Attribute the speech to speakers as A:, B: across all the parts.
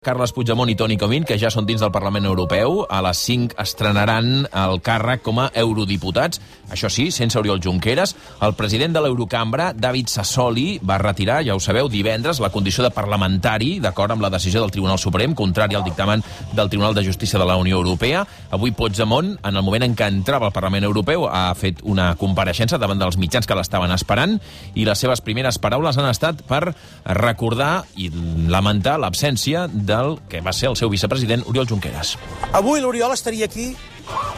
A: Carles Puigdemont i Toni Comín, que ja són dins del Parlament Europeu. A les 5 estrenaran el càrrec com a eurodiputats. Això sí, sense Oriol Junqueras. El president de l'Eurocambra, David Sassoli, va retirar, ja ho sabeu, divendres la condició de parlamentari, d'acord amb la decisió del Tribunal Suprem, contrari al dictamen del Tribunal de Justícia de la Unió Europea. Avui Puigdemont, en el moment en què entrava al Parlament Europeu, ha fet una compareixença davant dels mitjans que l'estaven esperant, i les seves primeres paraules han estat per recordar i lamentar l'absència del que va ser el seu vicepresident, Oriol Junqueras.
B: Avui l'Oriol estaria aquí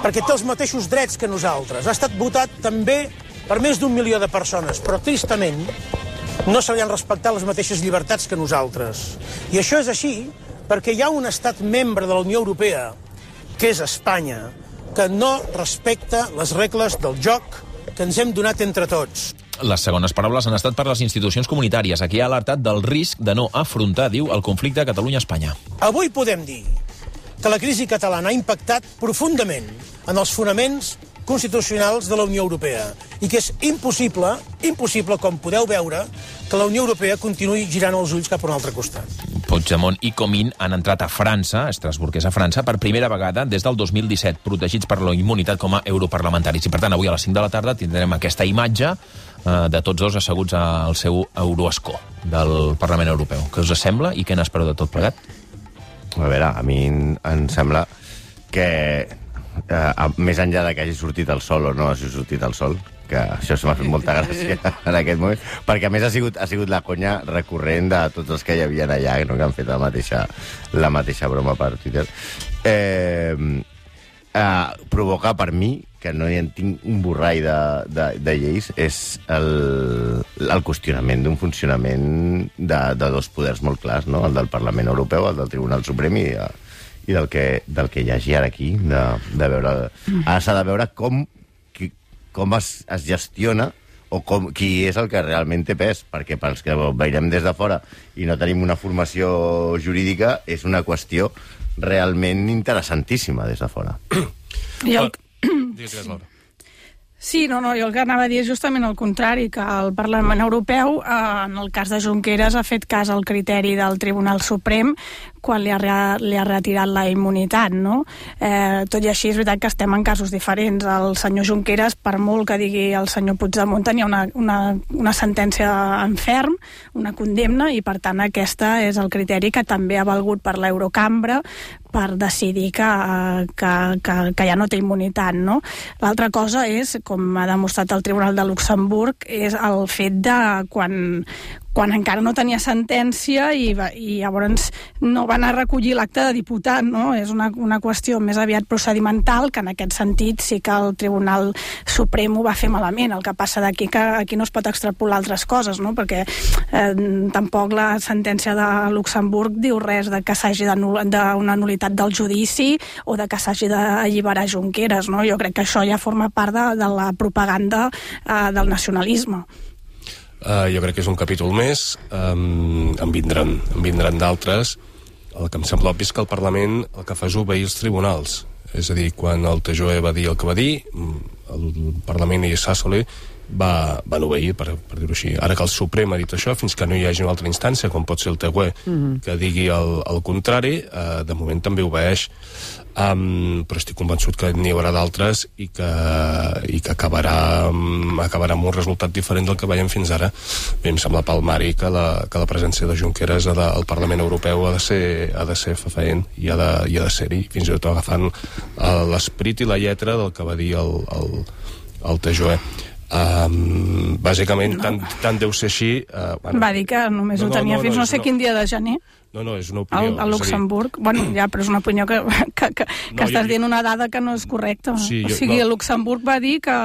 B: perquè té els mateixos drets que nosaltres. Ha estat votat també per més d'1 milió de persones, però tristament no se li han respectat les mateixes llibertats que nosaltres. I això és així perquè hi ha un estat membre de la Unió Europea, que és Espanya, que no respecta les regles del joc que ens hem donat entre tots.
A: Les segones paraules han estat per les institucions comunitàries. Aquí ha alertat del risc de no afrontar, diu, el conflicte Catalunya-Espanya.
B: Avui podem dir que la crisi catalana ha impactat profundament en els fonaments constitucionals de la Unió Europea i que és impossible, com podeu veure, que la Unió Europea continuï girant els ulls cap a un altre costat.
A: Puigdemont i Comín han entrat a França, Estrasburg és a França, per primera vegada des del 2017, protegits per la immunitat com a europarlamentaris. I per tant, avui a les 5 de la tarda tindrem aquesta imatge de tots dos asseguts al seu euroescó del Parlament Europeu. Què us sembla i què n'espereu de tot plegat?
C: A veure, a mi em sembla que més enllà de que hagi sortit el sol o no hagi sortit el sol, que això m'ha fet molta gràcia en aquest moment, perquè a més ha sigut la conya recurrent de tots els que hi havia allà, no? Que han fet la mateixa broma per Twitter. Provoca per mi, que no hi tinc un borrall de lleis, és el qüestionament d'un funcionament de dos poders molt clars, no? El del Parlament Europeu, el del Tribunal Suprem i del que hi hagi ara aquí, de veure... Ara s'ha de veure com es gestiona o qui és el que realment té pes, perquè pels que veiem des de fora i no tenim una formació jurídica, és una qüestió realment interessantíssima des de fora.
D: Digues, Laura. Sí, no, jo el que anava a dir és justament el contrari, que el Parlament Europeu, en el cas de Junqueras, ha fet cas al criteri del Tribunal Suprem quan li ha retirat la immunitat, no? Tot i així, és veritat que estem en casos diferents. El senyor Junqueras, per molt que digui el senyor Puigdemont, tenia una sentència en ferm, una condemna, i per tant aquesta és el criteri que també ha valgut per l'Eurocambra per decidir que ja no té immunitat, no? L'altra cosa és, com ha demostrat el Tribunal de Luxemburg, és el fet de quan encara no tenia sentència i llavors no van a recollir l'acte de diputat, no? És una qüestió més aviat procedimental, que en aquest sentit sí que el Tribunal Suprem ho va fer malament. El que passa d'aquí que aquí no es pot extrapolar altres coses, no? Perquè tampoc la sentència de Luxemburg diu res de que s'hagi d'una nul·litat del judici o de que s'hagi d'alliberar Junqueras, no? Jo crec que això ja forma part de la propaganda del nacionalisme.
E: Jo crec que és un capítol més, en vindran d'altres. El que em sembla obvi és que el Parlament el que fa és obeir els tribunals. És a dir, quan el TJUE va dir el que va dir, el Parlament i Sassoli van obeir, per dir-ho així. Ara que el Suprem ha dit això, fins que no hi hagi una altra instància, com pot ser el TJUE, que digui el contrari, de moment també obeeix. Però estic convençut que n'hi haurà d'altres i que acabarà amb un resultat diferent del que veiem fins ara. Bé, em sembla palmari que la presència de Junqueras al Parlament Europeu ha de ser fefaent i ha de ser-hi, fins i tot agafant l'esperit i la lletra del que va dir el TJUE. Bàsicament, tant deu ser així...
D: Va dir que només ho tenia fins no sé quin dia de gener.
E: No, és una opinió.
D: A Luxemburg. Bueno, ja, però és una opinió que estàs dient una dada que no és correcta. Sí, o sigui, Luxemburg va dir que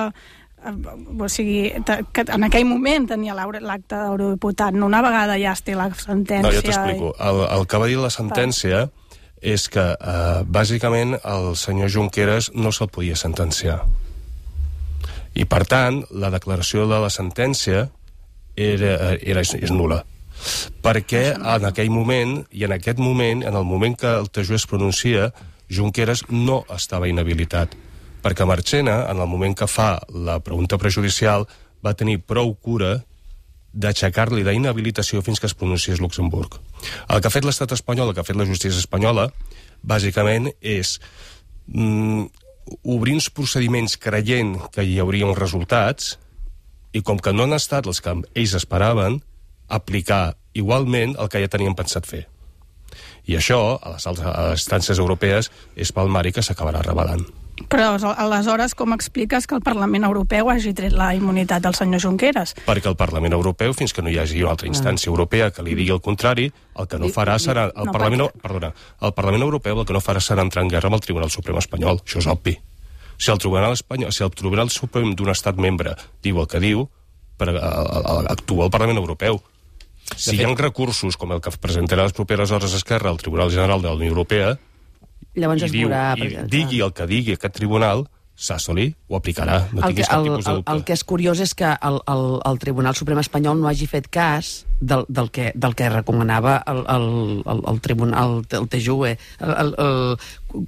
D: en aquell moment tenia l'acte d'eurodiputat, no una vegada ja es té la sentència.
E: No, jo t'explico. El que va dir la sentència és que, bàsicament, el senyor Junqueras no se'l podia sentenciar. I, per tant, la declaració de la sentència és nul·la. Perquè en aquell moment, i en aquest moment, en el moment que el TJUE es pronuncia, Junqueras no estava inhabilitat. Perquè Marchena, en el moment que fa la pregunta prejudicial, va tenir prou cura d'aixecar-li la inhabilitació fins que es pronunciés Luxemburg. El que ha fet l'estat espanyol, el que ha fet la justícia espanyola, bàsicament és obrir uns procediments creient que hi hauria uns resultats i com que no han estat els que ells esperaven, aplicar igualment el que ja tenien pensat fer. I això, a les instàncies europees, és palmari que s'acabarà revelant.
D: Però aleshores com expliques que el Parlament Europeu hagi tret la immunitat del senyor Junqueras?
E: Perquè el Parlament Europeu, fins que no hi hagi una altra instància europea que li digui el contrari, el que no farà serà... El Parlament Europeu el que no farà serà entrar en guerra amb el Tribunal Suprem espanyol. Això és obvi. Si el Tribunal Suprem d'un estat membre diu el que diu, actua el Parlament Europeu. Si hi ha recursos, com el que presentarà les properes hores Esquerra al Tribunal General de la Unió Europea,
F: llavors
E: i digui el que digui aquest tribunal, Sassoli ho aplicarà. No tinguis cap tipus de dubte.
F: El que és curiós és que el Tribunal Suprem espanyol no hagi fet cas del que recomanava el Tribunal, el TJUE.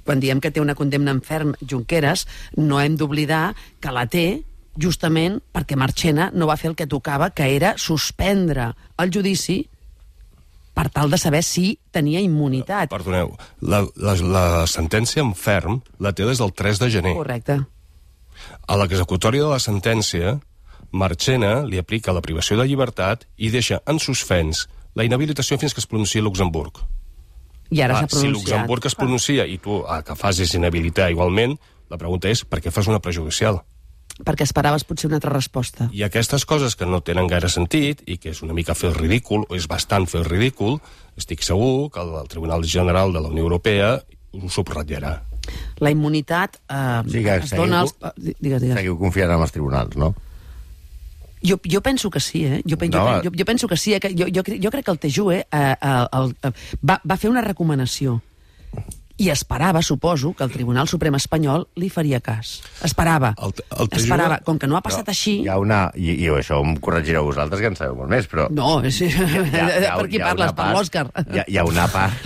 F: Quan diem que té una condemna en ferm Junqueras, no hem d'oblidar que la té justament perquè Marchena no va fer el que tocava, que era suspendre el judici per tal de saber si tenia immunitat.
E: Perdoneu, la sentència en ferm la té des del 3 de gener.
F: Correcte.
E: A l'executòria de la sentència, Marchena li aplica la privació de llibertat i deixa en suspens la inhabilitació fins que es pronunciï Luxemburg.
F: I ara s'ha pronunciat.
E: Si Luxemburg es pronuncia i tu que facis inhabilitar igualment, la pregunta és per què fas una prejudicial?
F: Perquè esperaves potser una altra resposta.
E: I aquestes coses que no tenen gaire sentit i que és una mica fer el ridícul, o és bastant fer el ridícul, estic segur que el Tribunal General de la Unió Europea ho subratllarà.
F: La immunitat es dona als...
C: Seguiu confiant en els tribunals, no?
F: Jo penso que sí, eh? Jo penso que sí. Jo crec que el TJUE va fer una recomanació i esperava, suposo, que el Tribunal Suprem espanyol li faria cas. Esperava. Esperava. Com que no ha passat així...
C: Hi ha una... I això em corregireu vosaltres, que en sabeu molt més, però...
F: No, per qui parles? Per l'Òscar.
C: Hi ha una part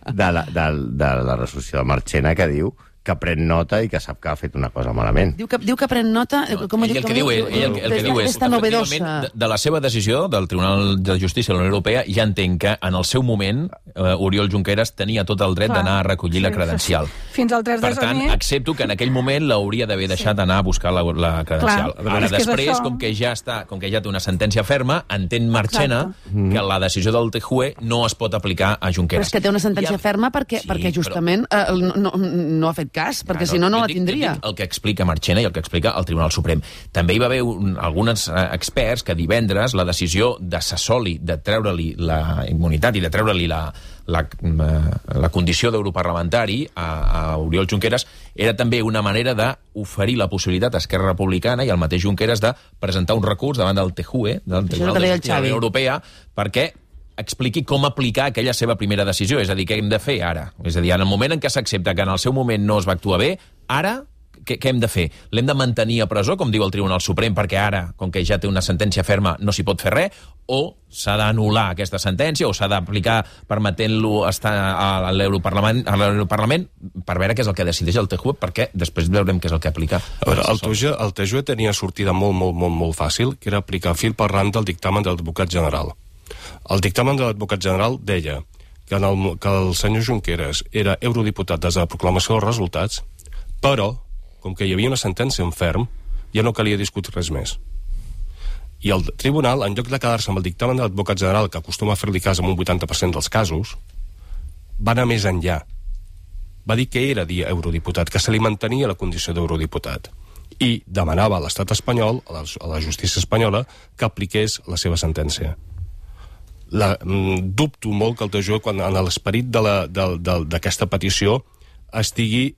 C: de la resolució de Marchena que diu que pren nota i que sap que ha fet una cosa malament.
F: Diu que pren nota...
A: El que diu és, efectivament, de la seva decisió del Tribunal de Justícia de la Unió Europea, ja entenc que en el seu moment Oriol Junqueras tenia tot el dret d'anar a recollir la credencial.
D: Fins al 3 de gener...
A: Per tant, accepto que en aquell moment l'hauria d'haver deixat anar a buscar la credencial. Ara, després, com que ja té una sentència ferma, entén Marchena que la decisió del TJUE no es pot aplicar a Junqueras.
F: Però és que té una sentència ferma perquè justament no ha fet cas, perquè si no la tindria.
A: El que explica Marchena i el que explica el Tribunal Suprem. També hi va haver alguns experts que divendres la decisió de Sassoli de treure-li la immunitat i de treure-li la condició d'europarlamentari a Oriol Junqueras era també una manera d'oferir la possibilitat a Esquerra Republicana i al mateix Junqueras de presentar un recurs davant del TJUE, del Tribunal de Justícia de la Unió Europea, perquè expliqui com aplicar aquella seva primera decisió, és a dir, què hem de fer ara? És a dir, en el moment en què s'accepta que en el seu moment no es va actuar bé, ara què hem de fer? L'hem de mantenir a presó, com diu el Tribunal Suprem, perquè ara, com que ja té una sentència ferma, no s'hi pot fer res, o s'ha d'anul·lar aquesta sentència, o s'ha d'aplicar permetent-lo estar a l'Europarlament per veure què és el que decideix el TJUE, perquè després veurem què és el que aplica.
E: A veure, el TJUE tenia sortida molt fàcil, que era aplicar fil per ran del dictamen de l'advocat general. El dictamen de l'advocat general deia que el senyor Junqueras era eurodiputat des de la proclamació dels resultats, però, com que hi havia una sentència en ferm, ja no calia discutir res més. I el tribunal, en lloc de quedar-se amb el dictamen de l'advocat general, que acostuma a fer-li cas en un 80% dels casos, va anar més enllà. Va dir que era eurodiputat, que se li mantenia la condició d'eurodiputat. I demanava a l'estat espanyol, a la justícia espanyola, que apliqués la seva sentència. Dubto molt que el TJUE, quan en l'esperit d'aquesta petició, estigui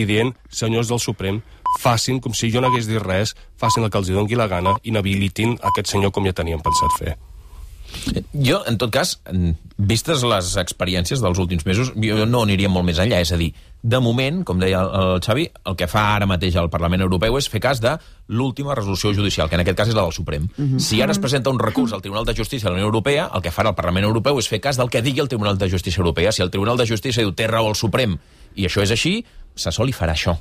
E: dient, senyors del Suprem, facin com si jo no hagués dit res, facin el que els doni la gana, inhabilitin aquest senyor com ja tenien pensat fer.
A: Jo, en tot cas, vistes les experiències dels últims mesos, jo no aniria molt més enllà. És a dir, de moment, com deia el Xavi, el que fa ara mateix el Parlament Europeu és fer cas de l'última resolució judicial, que en aquest cas és la del Suprem. Si ara es presenta un recurs al Tribunal de Justícia de la Unió Europea, el que farà el Parlament Europeu és fer cas del que digui el Tribunal de Justícia Europea. Si el Tribunal de Justícia diu té raó el Suprem i això és així, Sassoli farà això,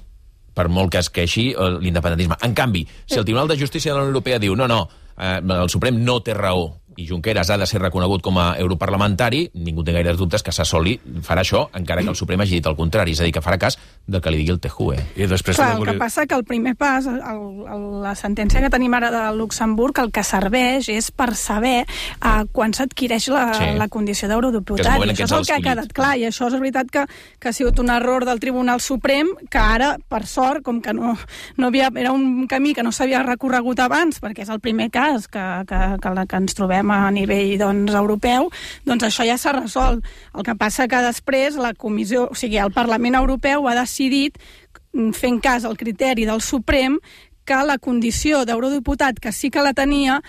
A: per molt que es queixi l'independentisme. En canvi, si el Tribunal de Justícia de la Unió Europea diu no, el Suprem no té raó i Junqueras ha de ser reconegut com a europarlamentari, ningú té gaires dubtes que Sassoli farà això, encara que el Suprem hagi dit el contrari, és a dir, que farà cas del que li digui el TJUE.
E: I després
D: clar, el que passa que el primer pas, la sentència que tenim ara de Luxemburg, el que serveix és per saber quan s'adquireix la condició d'eurodiputat. I això és el que ha quedat clar, i això és veritat que ha sigut un error del Tribunal Suprem, que ara, per sort, com que no era un camí que no s'havia recorregut abans, perquè és el primer cas que ens trobem a nivell europeu, doncs això ja s'ha resolt. El que passa que després la Comissió, o sigui, el Parlament Europeu ha decidit, fent cas al criteri del Suprem, que la condició d'eurodiputat, que sí que la tenia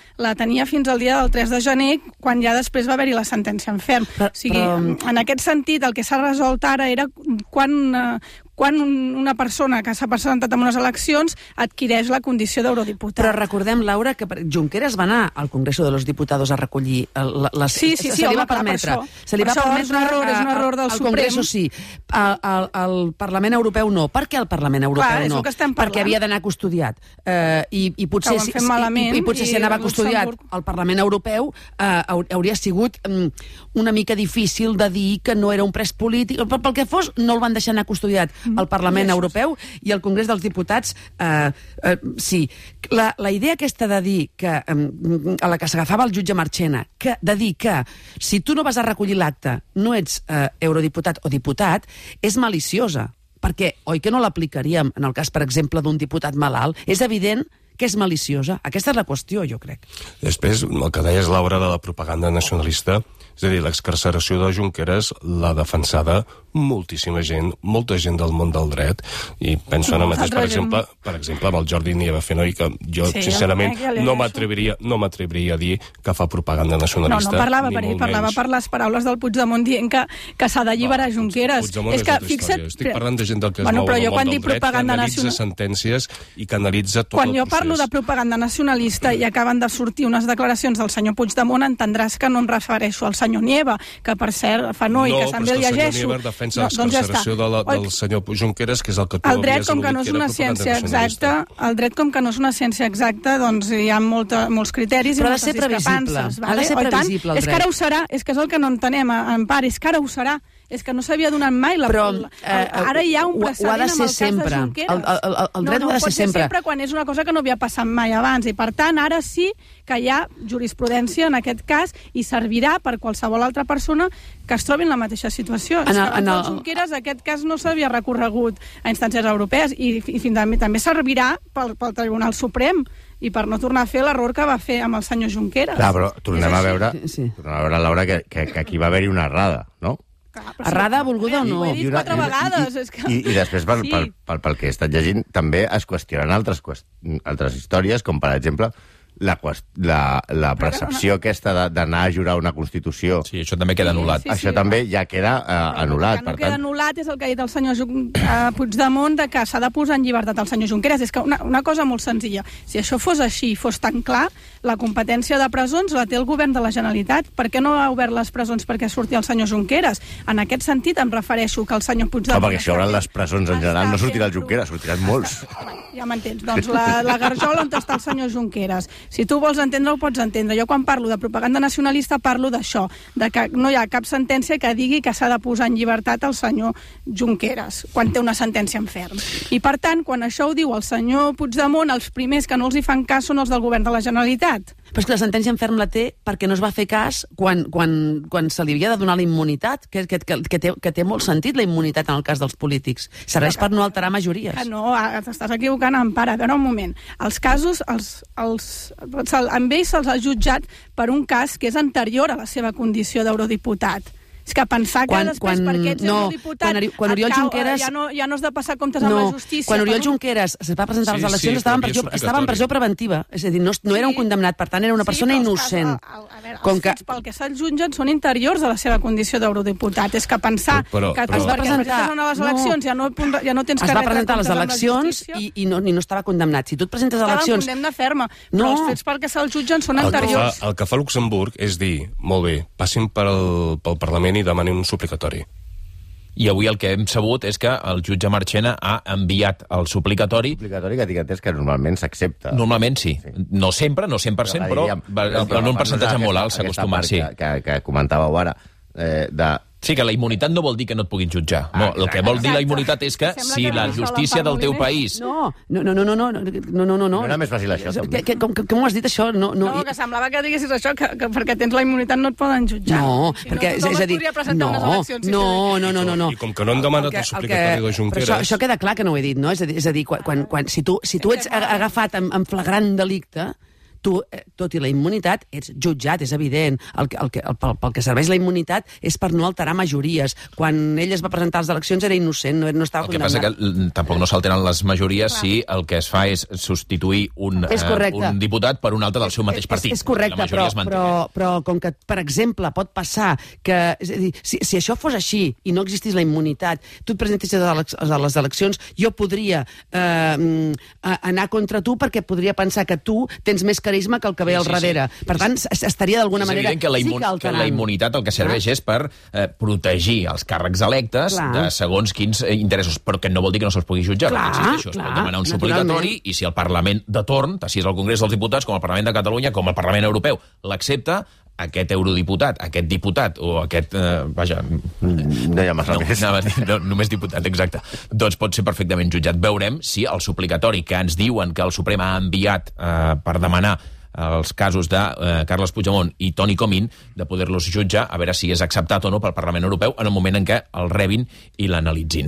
D: fins al dia del 3 de gener, quan ja després va haver-hi la sentència en ferm. O sigui, en aquest sentit, el que s'ha resolt ara era quan una persona que s'ha presentat en unes eleccions adquireix la condició d'eurodiputat.
F: Però recordem, Laura, que Junqueras va anar al Congreso de los Diputados a recollir les...
D: Sí, se li va permetre.
F: Se li va permetre
D: és un error del Suprem.
F: Al Congreso sí, al Parlament Europeu no. Per què al Parlament Europeu no? Perquè havia d'anar custodiat. I potser si anava custodiat al Parlament Europeu hauria sigut una mica difícil de dir que no era un pres polític. Pel que fos, no el van deixar anar custodiat al Parlament Europeu i al Congrés dels Diputats sí. La idea aquesta de dir que a la que s'agafava el jutge Marchena, de dir que si tu no vas a recollir l'acte no ets eurodiputat o diputat, és maliciosa, perquè oi que no l'aplicaríem en el cas, per exemple, d'un diputat malalt? És evident que és maliciosa. Aquesta és la qüestió, jo crec.
E: Després, el que deies, Laura, de la propaganda nacionalista, és a dir, l'excarceració de Junqueras l'ha defensada moltíssima gent, molta gent del món del dret, i penso ara mateix, per exemple, amb el Jordi Nieva-Fenoi, que jo, sincerament, no m'atreviria a dir que fa propaganda nacionalista.
D: No parlava per ell, parlava per les paraules del Puigdemont dient que s'ha d'alliberar Junqueras.
E: Puigdemont és altra història. Estic parlant de gent del que es mou al món del dret, que analitza sentències i que analitza tot el procés.
D: Quan jo parlo de propaganda nacionalista i acaben de sortir unes declaracions del senyor Puigdemont, entendràs que no em refereixo al senyor Nieva, que per cert, Fenoi, que també el llegeixo.
E: No, però és que el senyor Nieva defensa l'excarceració del senyor Junqueras, que és el que tu havies al·ludit, que era propaganda nacionalista.
D: El dret, com que no és una ciència exacta, doncs hi ha molts criteris i moltes discrepàncies.
F: Ha de ser previsible, el dret.
D: És que ara ho serà, és que és el que no entenem, en part, és que ara ho serà. És que no s'havia donat mai la...
F: Però
D: ara hi ha un precedent amb el cas de Junqueras.
F: El dret ho ha de ser sempre. No, pot ser sempre
D: quan és una cosa que no havia passat mai abans. I per tant, ara sí que hi ha jurisprudència en aquest cas i servirà per qualsevol altra persona que es trobi en la mateixa situació. És que amb Junqueras aquest cas no s'havia recorregut a instàncies europees i també servirà pel Tribunal Suprem i per no tornar a fer l'error que va fer amb el senyor Junqueras.
C: Clar, però tornem a veure, Laura, que aquí va haver-hi una errada, no?
F: Errada, volguda o no?
D: Ho he dit 4 vegades.
C: I després, pel que he estat llegint, també es qüestionen altres històries, com per exemple la percepció aquesta d'anar a jurar una Constitució.
A: Sí, això també queda anul·lat.
C: Això també ja queda anul·lat.
D: El que no queda anul·lat és el que ha dit el senyor Puigdemont, de que s'ha de posar en llibertat el senyor Junqueras. És que una cosa molt senzilla. Si això fos així, fos tan clar, la competència de presons la té el govern de la Generalitat. Per què no ha obert les presons perquè surti el senyor Junqueras? En aquest sentit em refereixo que el senyor Puigdemont...
C: perquè si obren les presons en general no sortirà el Junqueras, sortiran molts.
D: Ja m'entens. Doncs la garjola on està el senyor Junqueras. Si tu vols entendre, ho pots entendre. Jo quan parlo de propaganda nacionalista parlo d'això, de que no hi ha cap sentència que digui que s'ha de posar en llibertat el senyor Junqueras, quan té una sentència en ferm. I per tant, quan això ho diu el senyor Puigdemont, els primers que no els hi fan cas són els del govern de la Generalitat.
F: Però és que la sentència en ferm la té perquè no es va fer cas quan se li havia de donar la immunitat, que té molt sentit la immunitat en el cas dels polítics. Serveix per no alterar majories.
D: No, t'estàs equivocant, Empara. A veure, un moment. Els casos, amb ells se'ls ha jutjat per un cas que és anterior a la seva condició d'eurodiputat. És que pensar que després perquè ets eurodiputat
F: quan Oriol Junqueras
D: ja no has de passar comptes amb la justícia.
F: Quan Oriol Junqueras es va presentar a les eleccions estava en presó preventiva, és a dir, no era un condemnat, per tant era una persona innocent.
D: Els fets pel que se'l jutgen són interiors a la seva condició d'eurodiputat. És que pensar que es va presentar a les eleccions ja no tens
F: es va presentar a les eleccions i no estava condemnat. Si tu et presentes a eleccions...
D: Estava en condemna ferma, però els fets pel que se'l jutgen són anteriors.
E: El que fa Luxemburg és dir, molt bé, passin pel Parlament i demanin un suplicatori.
A: I avui el que hem sabut és que el jutge Marchena ha enviat el suplicatori.
C: Suplicatori que tinc entès que normalment s'accepta.
A: Normalment sí. No sempre, no 100%, però en un percentatge molt alt s'ha acostumat, sí.
C: Que comentàveu ara,
A: Sí, que la immunitat no vol dir que no et puguin jutjar. No, el que vol dir la immunitat és que si la justícia del teu país...
F: No.
C: No era més fàcil això, també.
F: Com ho has dit, això?
D: No, que semblava que diguessis això, que perquè tens la immunitat no et poden jutjar.
F: No, perquè, és a dir... No.
E: I com que no han demanat el suplicatori de Junqueras...
F: Però això queda clar que no ho he dit, no? És a dir, si tu ets agafat en flagrant delicte, tu, tot i la immunitat, ets jutjat, és evident. Pel que serveix la immunitat és per no alterar majories. Quan ell es va presentar a les eleccions era innocent, no estava condemnat.
A: El que passa que tampoc no s'alteren les majories si el que es fa és substituir un diputat per un altre del seu mateix partit.
F: És correcte, però com que, per exemple, pot passar que... És a dir, si això fos així i no existís la immunitat, tu et presentessis a les eleccions, jo podria anar contra tu perquè podria pensar que tu tens més carisma que el que ve al darrere. Per tant, estaria d'alguna manera...
A: És evident que la immunitat el que serveix és per protegir els càrrecs electes de segons quins interessos, però que no vol dir que no se'ls pugui jutjar. Es pot demanar un suplicatori i si el Parlament de torn, si és el Congrés dels Diputats, com el Parlament de Catalunya, com el Parlament Europeu, l'accepta, aquest eurodiputat, aquest diputat o aquest...
C: No hi ha massa més.
A: Només diputat, exacte. Doncs pot ser perfectament jutjat. Veurem si el suplicatori que ens diuen que el Suprem ha enviat per demanar els casos de Carles Puigdemont i Toni Comín, de poder-los jutjar, a veure si és acceptat o no pel Parlament Europeu en el moment en què el rebin i l'analitzin.